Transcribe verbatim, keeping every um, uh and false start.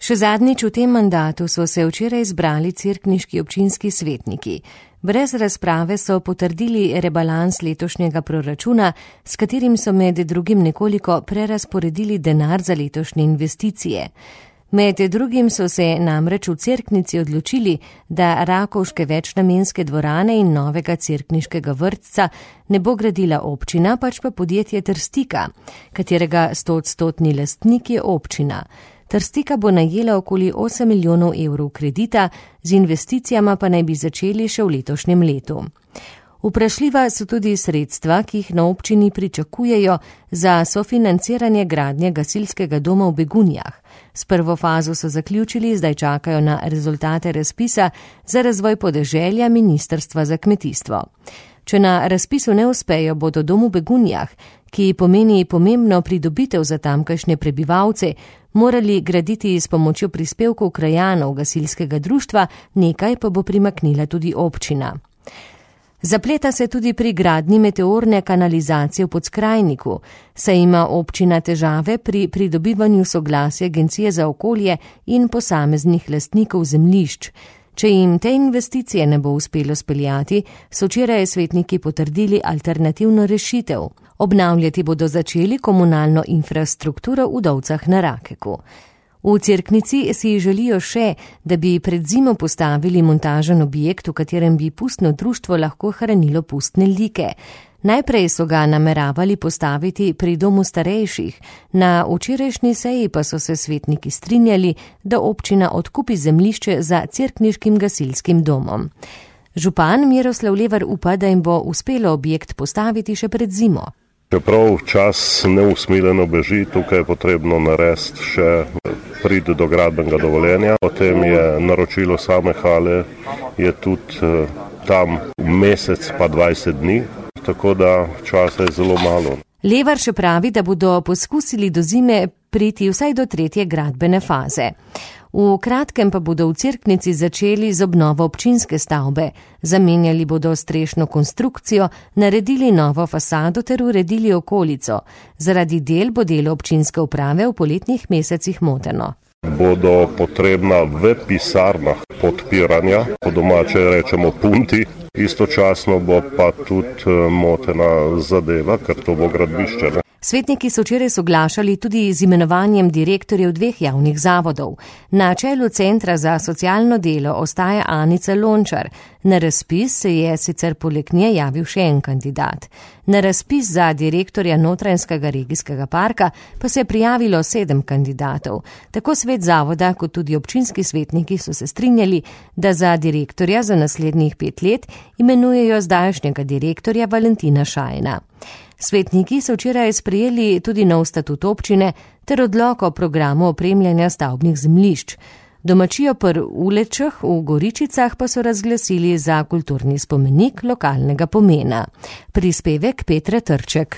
Še zadnjič v tem mandatu so se včeraj zbrali cerkniški občinski svetniki. Brez razprave so potrdili rebalans letošnjega proračuna, s katerim so med drugim nekoliko prerazporedili denar za letošnje investicije. Med drugim so se namreč v Cerknici odločili, da rakovške večnamenske dvorane in novega cerkniškega vrtca ne bo gradila občina, pač pa podjetje Trstika, katerega stoodstotni lastnik je občina. Trstika bo najela okoli osem milijonov evrov kredita, z investicijama pa naj bi začeli še v letošnjem letu. Vprašljiva so tudi sredstva, ki jih na občini pričakujejo za sofinanciranje gradnje gasilskega doma v Begunjah. S prvo fazo so zaključili, zdaj čakajo na rezultate razpisa za razvoj podeželja Ministrstva za kmetijstvo. Če na razpisu ne uspejo, bodo dom v Begunjah, ki pomeni pomembno pridobitev za tamkajšnje prebivalce, morali graditi s pomočjo prispevkov krajanov gasilskega društva, nekaj pa bo primaknila tudi občina. Zapleta se tudi pri gradnji meteorne kanalizacije v Podskrajniku, saj ima občina težave pri pridobivanju soglasja Agencije za okolje in posameznih lastnikov zemljišč. Če jim te investicije ne bo uspelo speljati, so včeraj svetniki potrdili alternativno rešitev. Obnavljati bodo začeli komunalno infrastrukturo v Dovcah na Rakeku. V Cerknici si želijo še, da bi pred zimo postavili montažen objekt, v katerem bi pustno društvo lahko hranilo pustne like. Najprej so ga nameravali postaviti pri domu starejših, na včerajšnji seji pa so se svetniki strinjali, da občina odkupi zemljišče za cerkniškim gasilskim domom. Župan Miroslav Levar upa, da jim bo uspelo objekt postaviti še pred zimo. Čeprav čas neusmiljeno beži, tukaj je potrebno narediti še priti do gradbenega dovoljenja. Potem je naročilo same hale, je tudi tam mesec pa dvajset dni, tako da časa je zelo malo. Levar še pravi, da bodo poskusili do zime priti vsaj do tretje gradbene faze. V kratkem pa bodo v Cerknici začeli z obnovo občinske stavbe. Zamenjali bodo strešno konstrukcijo, naredili novo fasado ter uredili okolico. Zaradi del bo delo občinske uprave v poletnih mesecih moteno. Bodo potrebna v pisarnah podpiranja, po domače rečemo punti, istočasno bo pa tudi motena zadeva, ker to bo gradbišče. Ne? Svetniki so včeraj soglašali tudi z imenovanjem direktorjev dveh javnih zavodov. Na čelu Centra za socialno delo ostaja Anica Lončar. Na razpis se je sicer poleg nje javil še en kandidat. Na razpis za direktorja Notranjskega regijskega parka pa se je prijavilo sedem kandidatov. Tako svet zavoda kot tudi občinski svetniki so se strinjali, da za direktorja za naslednjih pet let imenujejo zdajšnjega direktorja Valentina Šajna. Svetniki so včeraj sprejeli tudi nov statut občine ter odlok o programu opremljanja stavbnih zemljišč. Domačijo pri Ulečah v Goričicah pa so razglasili za kulturni spomenik lokalnega pomena. Prispevek Petre Trček.